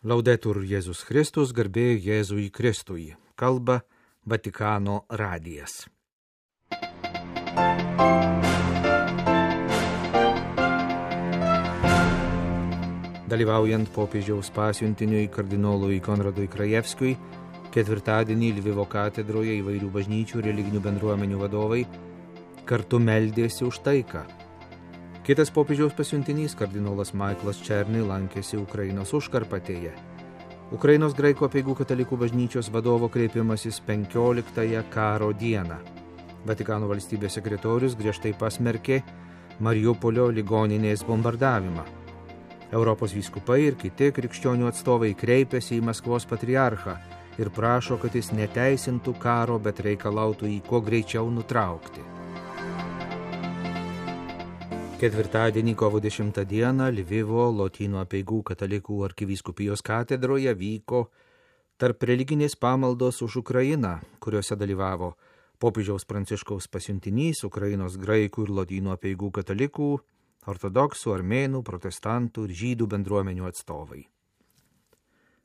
Laudetur Jėzus Kristus, garbė Jėzui Kristui, kalba Vatikano radijas. Dalyvaujant popiežiaus pasiuntiniui kardinolui Konradui Krajevskiui, ketvirtadienį Lvivo katedroje įvairių bažnyčių ir religinių bendruomenių vadovai kartu meldėsi už taiką. Kitas popiežiaus pasiuntinys, kardinolas Michaelas Černy, lankėsi Ukrainos užkarpatėje. Ukrainos graikų apeigų katalikų bažnyčios vadovo kreipimasis 15-ąją karo dieną. Vatikano valstybės sekretorius griežtai pasmerkė Mariupolio ligoninės bombardavimą. Europos vyskupai ir kiti krikščionių atstovai kreipėsi į Maskvos patriarchą ir prašo, kad jis neteisintų karo, bet reikalautų jį kuo greičiau nutraukti. Ketvirtadienį kovo 10 dieną Lvivo Lotynų apeigų katalikų arkivyskupijos katedroje vyko tarp religinės pamaldos už Ukrainą, kuriuose dalyvavo popiežiaus Pranciškaus pasiuntinys, Ukrainos graikų ir Lotynų apeigų katalikų, ortodoksų, armėnų, protestantų ir žydų bendruomenių atstovai.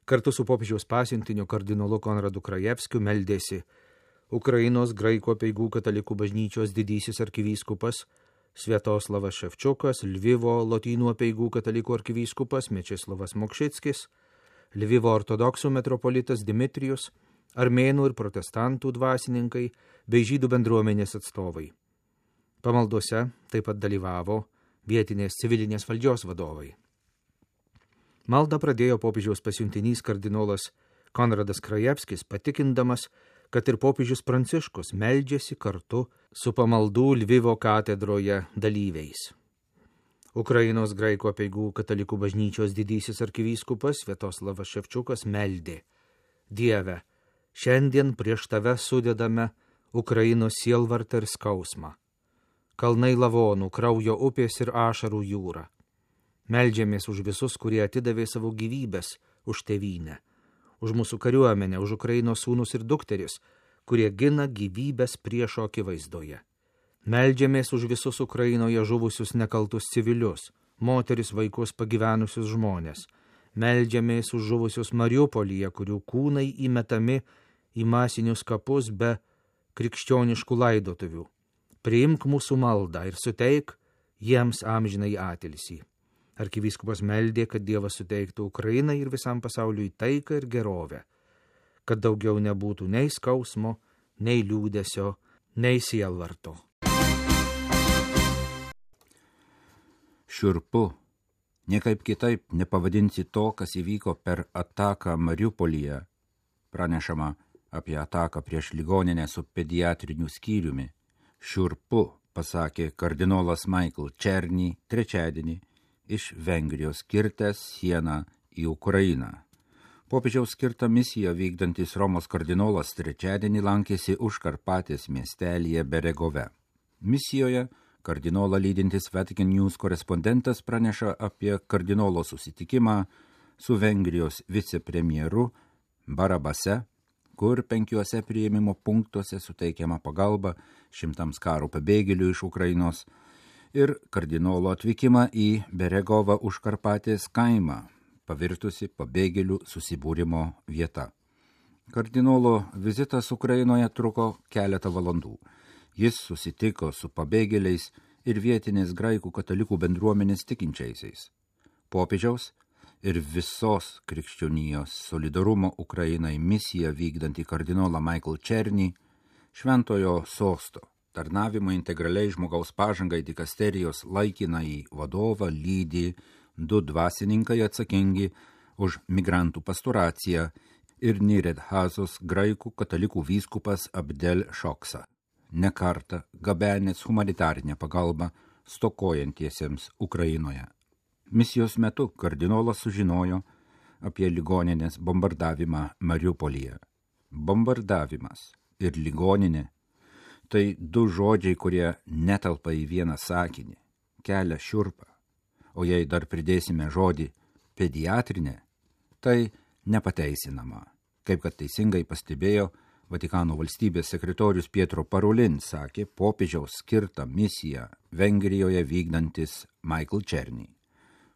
Kartu su popiežiaus pasiuntiniu kardinolu Konradu Krajevskiu meldėsi Ukrainos graikų apeigų katalikų bažnyčios didysis arkivyskupas Sviatoslavas Ševčiukas, Lvivo Lotynų apeigų katalikų arkivyskupas Mečislovas Mokšickis, Lvivo ortodoksų metropolitas Dimitrijus, armėnų ir protestantų dvasininkai bei žydų bendruomenės atstovai. Pamaldose taip pat dalyvavo vietinės civilinės valdžios vadovai. Maldą pradėjo popiežiaus pasiuntinys kardinolas Konradas Krajevskis, patikindamas, kad ir popiežius Pranciškus meldžiasi kartu su pamaldų Lvivo katedroje dalyviais. Ukrainos graikų apeigų katalikų bažnyčios didysis arkivyskupas Sviatoslavas Ševčiukas meldė: Dieve, šiandien prieš tave sudedame Ukrainos sielvartą ir skausmą. Kalnai lavonų, kraujo upės ir ašarų jūra. Meldžiamės už visus, kurie atidavė savo gyvybės už tėvynę, už mūsų kariuomenę, už Ukrainos sūnus ir dukteris, kurie gina gyvybės priešo akivaizdoje. Meldžiamės už visus Ukrainoje žuvusius nekaltus civilius, moteris, vaikus, pagyvenusius žmonės. Meldžiamės už žuvusius Mariupolyje, kurių kūnai įmetami į masinius kapus be krikščioniškų laidotuvių. Priimk mūsų maldą ir suteik jiems amžinai atilsį. Arkivyskupas meldė, kad Dievas suteiktų Ukrainai ir visam pasauliui taiką ir gerovę, kad daugiau nebūtų nei skausmo, nei liūdesio, nei sielvarto. Šiurpu. Niekaip kitaip nepavadinsi to, kas įvyko per ataką Mariupolyje. Pranešama apie ataką prieš ligoninę su pediatriniu skyriumi. Šiurpu, pasakė kardinolas Michael Černy trečiadienį iš Vengrijos kirtęs sieną į Ukrainą. Popiežiaus skirtą misiją vykdantis Romos kardinolas trečiadienį lankėsi Užkarpatės miestelyje Beregove. Misijoje kardinolą lydintis Vatican News korespondentas praneša apie kardinolo susitikimą su Vengrijos vicepremjeru Barabase, kur 5 priėmimo punktuose suteikiama pagalba 100 karo pabėgėlių iš Ukrainos, ir kardinolo atvykimą į Beregovą Užkarpatės kaimą, pavirtusi pabėgėlių susibūrimo vieta. Kardinolo vizitas Ukrainoje truko keletą valandų. Jis susitiko su pabėgėliais ir vietinės graikų katalikų bendruomenės tikinčiaisiais. Popiežiaus ir visos krikščionijos solidarumo Ukrainai misiją vykdantį kardinolą Michael Černy, Šventojo sosto tarnavimo integraliai žmogaus pažangai dikasterijos laikinąjį vadovą lydi 2 dvasininkai atsakingi už migrantų pastoraciją ir Niredhazos graikų katalikų vyskupas Abdel Šoksa, ne kartą gabenęs humanitarinę pagalbą stokojantiesiems Ukrainoje. Misijos metu kardinolas sužinojo apie ligoninės bombardavimą Mariupolyje. Bombardavimas ir ligoninė – tai 2 žodžiai, kurie netelpa į vieną sakinį, kelia šiurpą. O jei dar pridėsime žodį pediatrinė, tai nepateisinama. Kaip kad teisingai pastebėjo Vatikano valstybės sekretorius Pietro Parolin, sakė popiežiaus skirtą misiją Vengrijoje vykdantis Michael Černy.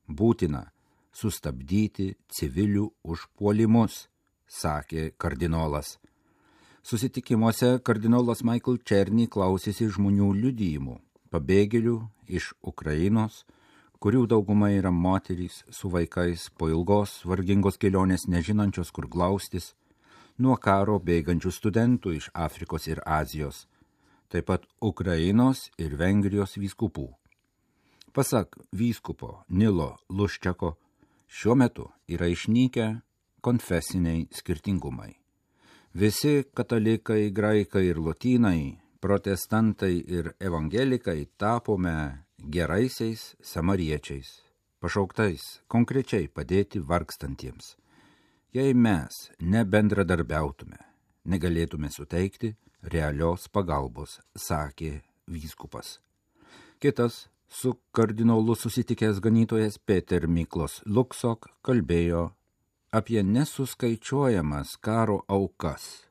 Būtina, sustabdyti civilių užpuolimus, sakė kardinolas. Susitikimuose kardinolas Michael Černy klausėsi žmonių liudijimų, pabėgėlių iš Ukrainos, kurių dauguma yra moterys su vaikais po ilgos vargingos kelionės nežinančios kur glaustis, nuo karo bėgančių studentų iš Afrikos ir Azijos, taip pat Ukrainos ir Vengrijos vyskupų. Pasak vyskupo Nilo Luščiako, šiuo metu yra išnykę konfesiniai skirtingumai. Visi katalikai, graikai ir lotynai, protestantai ir evangelikai tapome geraisiais samariečiais, pašauktais konkrečiai padėti vargstantiems. Jei mes nebendradarbiautume, negalėtume suteikti realios pagalbos, sakė vyskupas. Kitas su kardinolu susitikęs ganytojas Peter Miklos Luksok kalbėjo apie nesuskaičiuojamas karo aukas.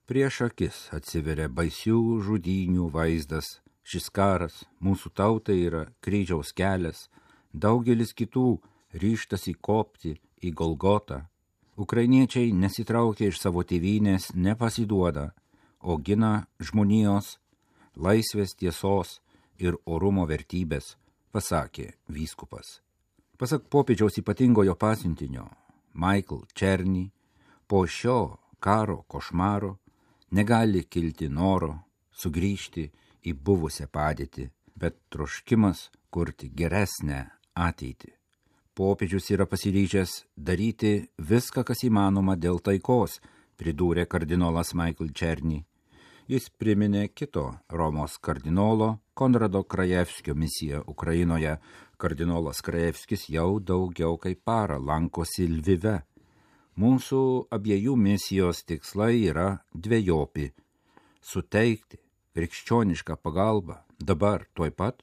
Prieš akis atsiveria baisių žudynių vaizdas. Šis karas mūsų tautai yra kryžiaus kelias, daugelis kitų ryžtasi kopti į Golgotą. Ukrainiečiai nesitraukia iš savo tėvynės, nepasiduoda, o gina žmonijos, laisvės, tiesos ir orumo vertybės, pasakė vyskupas. Pasak popiežiaus ypatingojo pasiuntinio Michael Černy, po šio karo košmaro negali kilti noro sugrįžti į buvusią padėtį, bet troškimas kurti geresnę ateitį. Popiežius yra pasiryžęs daryti viską, kas įmanoma dėl taikos, pridūrė kardinolas Michael Černy. Jis priminė kito Romos kardinolo Konrado Krajevskio misiją Ukrainoje. Kardinolas Krajevskis jau daugiau kaip parą lankosi Lvive. Mūsų abiejų misijos tikslai yra dvejopi – suteikti krikščionišką pagalbą dabar tuoj pat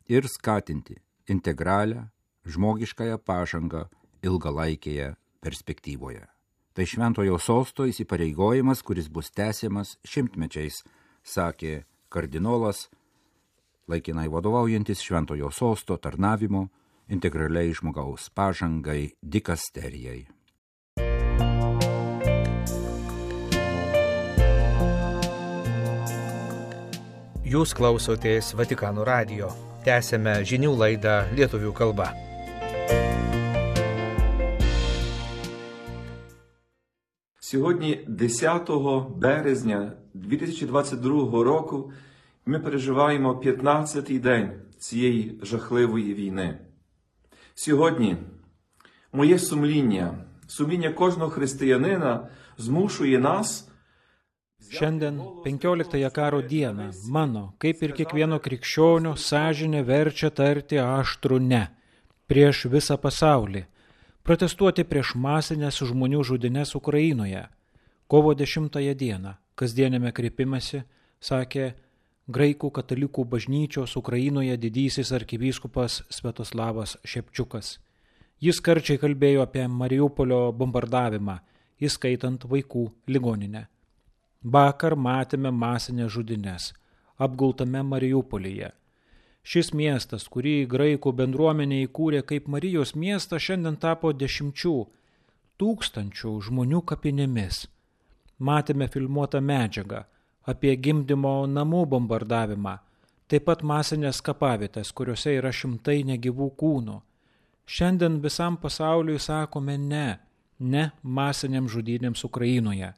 ir skatinti integralią žmogiškąją pažangą ilgalaikėje perspektyvoje. Tai šventojo sosto įsipareigojimas, kuris bus tęsiamas šimtmečiais, sakė kardinolas, laikinai vadovaujantis šventojo sosto tarnavimo integraliai žmogaus pažangai dikasterijai. Jūs klausotės Vatikano radijo. Tęsėme žinių laidą lietuvių kalba. Сьогодні, 10 березня 2022 року, ми переживаємо 15-й день цієї жахливої війни. Сьогодні моє сумління кожного християнина змушує нас Šiandien, 15 karo dieną, mano, kaip ir kiekvieno krikščionio, sąžinė verčia tarti aštrų ne prieš visą pasaulį, protestuoti prieš masinės žmonių žudynės Ukrainoje. Kovo 10 dieną, kasdienėme kreipimąsi, sakė Graikų katalikų bažnyčios Ukrainoje didysis arkivyskupas Sviatoslavas Šepčiukas. Jis karčiai kalbėjo apie Mariupolio bombardavimą, įskaitant vaikų ligoninę. Vakar matėme masinės žudynės, apgultame Mariupolyje. Šis miestas, kurį graikų bendruomenė įkūrė kaip Marijos miestą, šiandien tapo 10 000 žmonių kapinėmis. Matėme filmuotą medžiagą apie gimdymo namų bombardavimą, taip pat masinės kapavietės, kuriuose yra šimtai negyvų kūnų. Šiandien visam pasauliui sakome ne masinėms žudynėms Ukrainoje.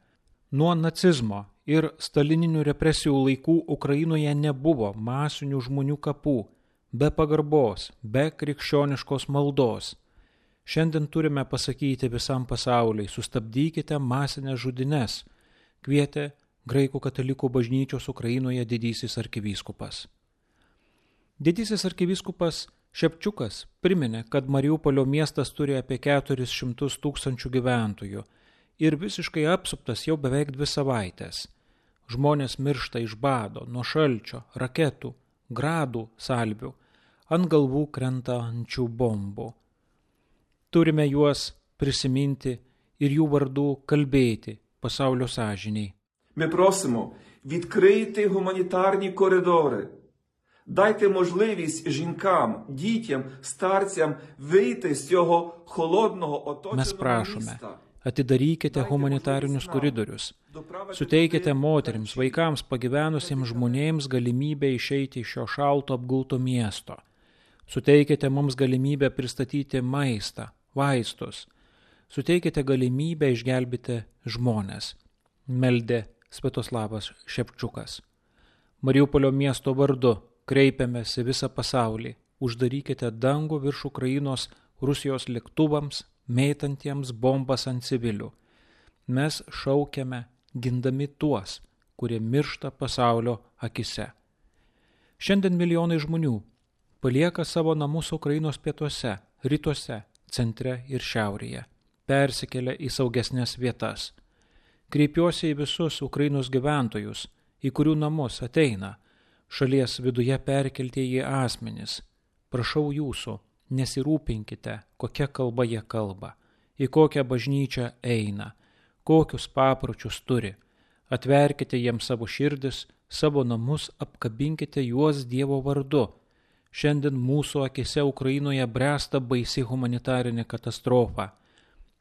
Nuo nacizmo ir stalininių represijų laikų Ukrainoje nebuvo masinių žmonių kapų, be pagarbos, be krikščioniškos maldos. Šiandien turime pasakyti visam pasauliui, sustabdykite masinės žudynės, kvietė Graikų katalikų bažnyčios Ukrainoje didysis arkivyskupas. Didysis arkivyskupas Šepčiukas priminė, kad Mariupolio miestas turi apie 400 000 gyventojų ir visiškai apsuptas jau beveik 2 savaitės. Žmonės miršta iš bado, nuo šalčio, raketų, gradų, salvių, ant galvų krentančių bombų. Turime juos prisiminti ir jų vardų kalbėti pasaulio sąžiniai. Ми просимо, відкрийте гуманітарні коридори, Дайте можливість жінкам, дітям, старцям вийти з цього холодного оточеного Mes prašome, міста. atidarykite humanitarinius koridorius, suteikite moterims, vaikams, pagyvenusiems žmonėms galimybę išeiti iš šio šalto apgulto miesto. Suteikite mums galimybę pristatyti maistą, vaistus. Suteikite galimybę išgelbėti žmonės. Meldė Sviatoslavas Ševčiukas. Mariupolio miesto vardu kreipiamės į visą pasaulį. Uždarykite dangų virš Ukrainos Rusijos lėktuvams, mėtantiems bombas ant civilių. Mes šaukiame, gindami tuos, kurie miršta pasaulio akise. Šiandien milijonai žmonių palieka savo namus Ukrainos pietuose, rytuose, centre ir šiaurėje, persikelia į saugesnės vietas. Kreipiuosi į visus Ukrainos gyventojus, į kurių namus ateina šalies viduje perkeltieji asmenys. Prašau jūsų, nesirūpinkite, kokia kalba jie kalba, į kokią bažnyčią eina, kokius papročius turi. Atverkite jiems savo širdis, savo namus, apkabinkite juos Dievo vardu. Šiandien mūsų akise Ukrainoje bręsta baisi humanitarinė katastrofa,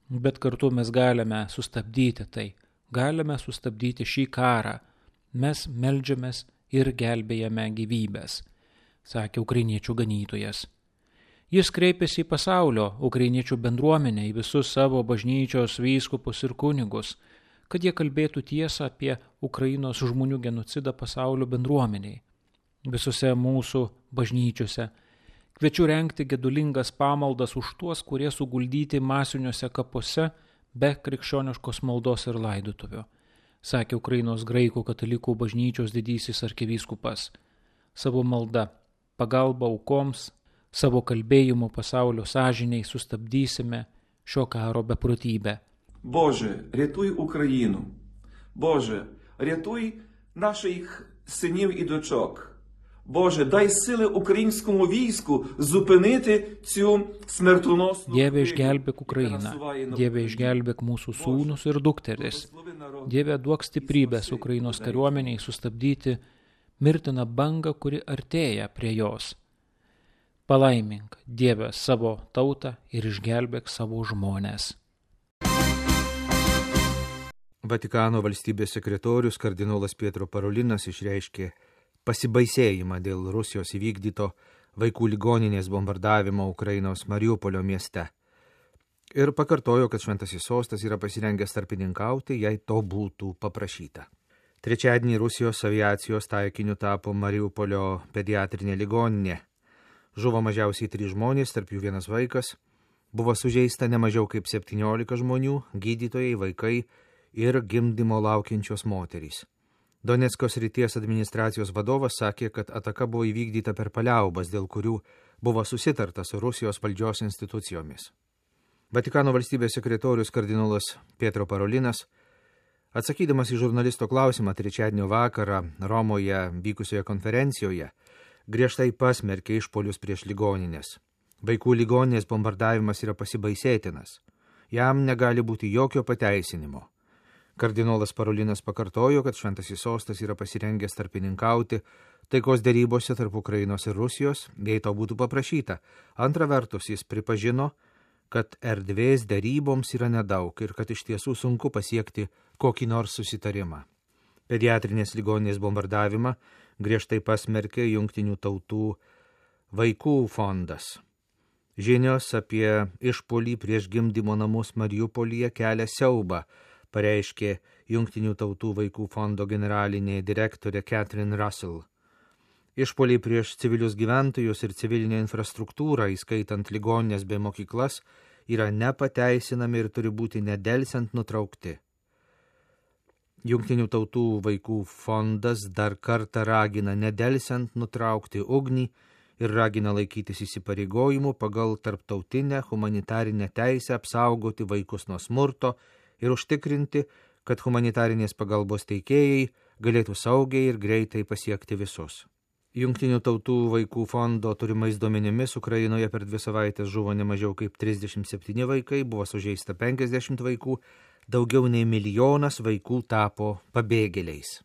bet kartu mes galime sustabdyti tai, galime sustabdyti šį karą. Mes meldžiamės ir gelbėjame gyvybės, sakė ukrainiečių ganytojas. Jis kreipėsi į pasaulio ukrainiečių bendruomenę, į visus savo bažnyčios vyskupus ir kunigus, kad jie kalbėtų tiesą apie Ukrainos žmonių genocidą pasaulio bendruomeniai. Visose mūsų bažnyčiose kviečiu rengti gedulingas pamaldas už tuos, kurie suguldyti masiniuose kapuose be krikščioniškos maldos ir laidotuvių, sakė Ukrainos graikų katalikų bažnyčios didysis arkivyskupas. Savo malda, pagalba aukoms, savo kalbėjimu pasaulio sąžiniai sustabdysime šio karo beprotybę. Боже, рятуй Україну. Боже, рятуй наших синів і дочок. Боже, дай сили українському війську зупинити цю смертоносну Dieve išgelbėk Ukrainą, Dieve išgelbėk mūsų sūnus ir dukteris. Dieve duok stiprybės Ukrainos kariuomeniai sustabdyti mirtiną bangą, kuri artėja prie jos. Palaimink, Dieve, savo tautą ir išgelbėk savo žmones. Vatikano valstybės sekretorius kardinolas Pietro Parolinas išreiškė pasibaisėjimą dėl Rusijos įvykdyto vaikų ligoninės bombardavimo Ukrainos Mariupolio mieste ir pakartojo, kad Šventasis Sostas yra pasirengęs tarpininkauti, jei to būtų paprašyta. Trečiadienį Rusijos aviacijos taikiniu tapo Mariupolio pediatrinė ligoninė. Žuvo mažiausiai 3 žmonės, tarp jų 1 vaikas. Buvo sužeista ne mažiau kaip 17 žmonių, gydytojai, vaikai ir gimdymo laukiančios moterys. Donecko srities administracijos vadovas sakė, kad ataka buvo įvykdyta per paliaubas, dėl kurių buvo susitarta su Rusijos valdžios institucijomis. Vatikano valstybės sekretorius kardinolas Pietro Parolinas, atsakydamas į žurnalisto klausimą trečiadienio vakarą Romoje vykusioje konferencijoje, griežtai pasmerkė išpolius prieš ligoninės. Vaikų ligoninės bombardavimas yra pasibaisėtinas. Jam negali būti jokio pateisinimo. Kardinolas Parolinas pakartojo, kad Šventasis Sostas yra pasirengęs tarpininkauti taikos derybose tarp Ukrainos ir Rusijos, jei to būtų paprašyta. Antra vertus, jis pripažino, kad erdvės deryboms yra nedaug ir kad iš tiesų sunku pasiekti kokį nors susitarimą. Pediatrinės ligoninės bombardavimą griežtai pasmerkė Jungtinių tautų vaikų fondas. Žinios apie išpuolį prieš gimdymo namus Mariupolyje kelia siaubą, pareiškė Jungtinių tautų vaikų fondo generalinė direktorė Catherine Russell. Išpuoliai prieš civilius gyventojus ir civilinę infrastruktūrą, įskaitant ligoninės bei mokyklas, yra nepateisinami ir turi būti nedelsiant nutraukti. Jungtinių tautų vaikų fondas dar kartą ragina nedelsiant nutraukti ugnį ir ragina laikytis įsipareigojimų pagal tarptautinę humanitarinę teisę apsaugoti vaikus nuo smurto ir užtikrinti, kad humanitarinės pagalbos teikėjai galėtų saugiai ir greitai pasiekti visus. Jungtinių tautų vaikų fondo turimais duomenimis Ukrainoje per 2 savaitės žuvo ne mažiau kaip 37 vaikai, buvo sužeista 50 vaikų, daugiau nei 1 milijonas vaikų tapo pabėgėliais.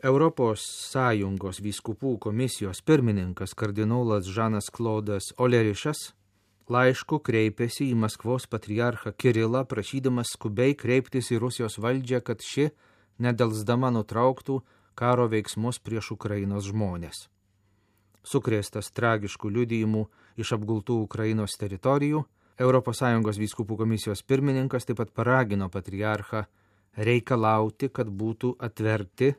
Europos Sąjungos vyskupų komisijos pirmininkas kardinolas Žanas Klodas Olerišas laišku kreipėsi į Maskvos patriarchą Kirilą, prašydamas skubiai kreiptis į Rusijos valdžią, kad ši nedelsdama nutrauktų karo veiksmus prieš Ukrainos žmonės. Sukrėstas tragiškų liudijimų iš apgultų Ukrainos teritorijų, ES vyskupų komisijos pirmininkas taip pat paragino patriarchą reikalauti, kad būtų atverti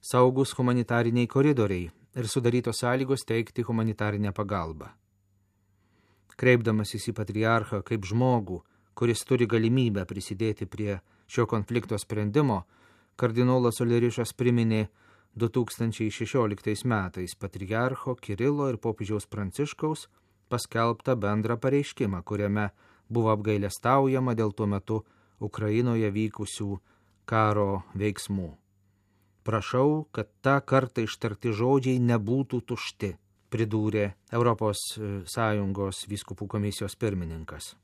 saugus humanitariniai koridoriai ir sudarytos sąlygos teikti humanitarinę pagalbą. Kreipdamasis į patriarchą kaip žmogų, kuris turi galimybę prisidėti prie šio konflikto sprendimo, kardinolas Olerišas priminė 2016 metais patriarcho Kirilo ir popiežiaus Pranciškaus paskelbtą bendrą pareiškimą, kuriame buvo apgailestaujama dėl tuo metu Ukrainoje vykusių karo veiksmų. Prašau, kad tą kartą ištarti žodžiai nebūtų tušti, pridūrė ES vyskupų komisijos pirmininkas.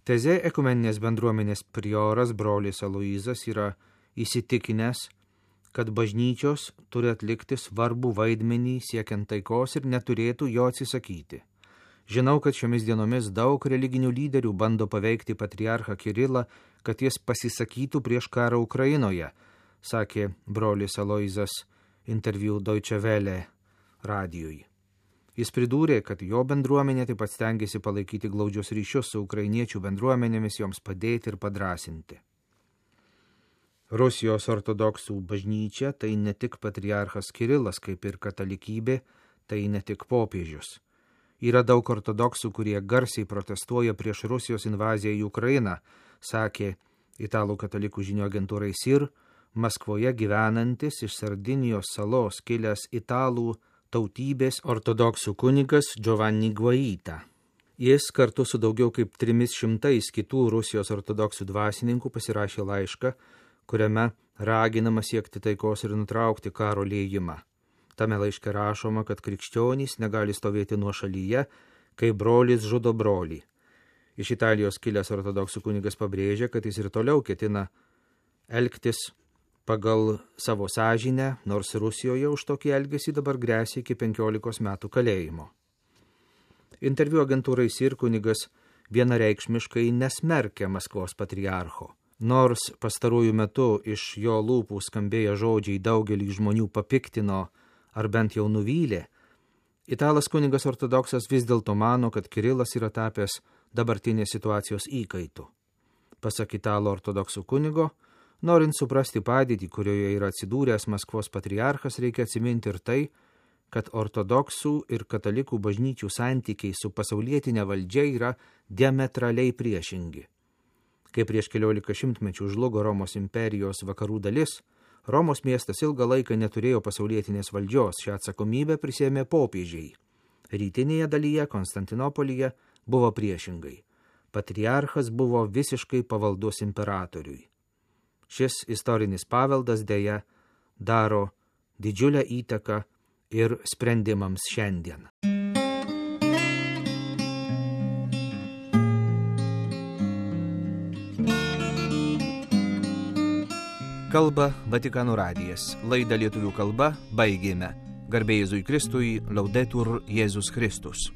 Teze ekumeninės bendruomenės prioras brolis Aloyzas yra įsitikinęs, kad bažnyčios turi atlikti svarbų vaidmenį siekiant taikos ir neturėtų jo atsisakyti. Žinau, kad šiomis dienomis daug religinių lyderių bando paveikti patriarchą Kirilą, kad jis pasisakytų prieš karą Ukrainoje, sakė brolis Aloyzas interviu Deutsche Welle radijui. Jis pridūrė, kad jo bendruomenė taip pat stengiasi palaikyti glaudžius ryšius su ukrainiečių bendruomenėmis, joms padėti ir padrasinti. Rusijos ortodoksų bažnyčia tai ne tik patriarchas Kirilas, kaip ir katalikybė, tai ne tik popiežius. Yra daug ortodoksų, kurie garsiai protestuoja prieš Rusijos invaziją į Ukrainą, sakė italų katalikų žinių agentūrai SIR, Maskvoje gyvenantis iš Sardinijos salos kilęs italų tautybės ortodoksų kunigas Giovanni Guaita. Jis kartu su daugiau kaip 300 kitų Rusijos ortodoksų dvasininkų pasirašė laišką, kuriame raginama siekti taikos ir nutraukti karo liejimą. Tame laiške rašoma, kad krikščionys negali stovėti nuošalyje, kai brolis žudo brolį. Iš Italijos kilęs ortodoksų kunigas pabrėžia, kad jis ir toliau ketina elgtis pagal savo sąžinę, nors Rusijoje už tokį elgesį dabar gresia iki 15 metų kalėjimo. Interviu agentūrai SIR kunigas vienareikšmiškai nesmerkia Maskvos patriarcho. Nors pastaruoju metu iš jo lūpų skambėję žodžiai daugelį žmonių papiktino ar bent jau nuvylė, italas kunigas ortodoksas vis dėlto mano, kad Kirilas yra tapęs dabartinės situacijos įkaitu. Pasak italo ortodoksų kunigo, norint suprasti padėtį, kurioje yra atsidūręs Maskvos patriarchas, reikia atsiminti ir tai, kad ortodoksų ir katalikų bažnyčių santykiai su pasaulietinė valdžia yra diametraliai priešingi. Kai prieš 14 šimtmečių žlugo Romos imperijos vakarų dalis, Romos miestas ilgą laiką neturėjo pasaulietinės valdžios, šią atsakomybę prisėmė popiežiai. Rytinėje dalyje, Konstantinopolyje, buvo priešingai. Patriarchas buvo visiškai pavaldus imperatoriui. Šis istorinis paveldas dėja daro didžiulę įtaką ir sprendimams šiandien. Kalba Vatikano radijas. Laidą lietuvių kalba baigėme. Garbė Jėzui Kristui, Laudetur Jėzus Kristus.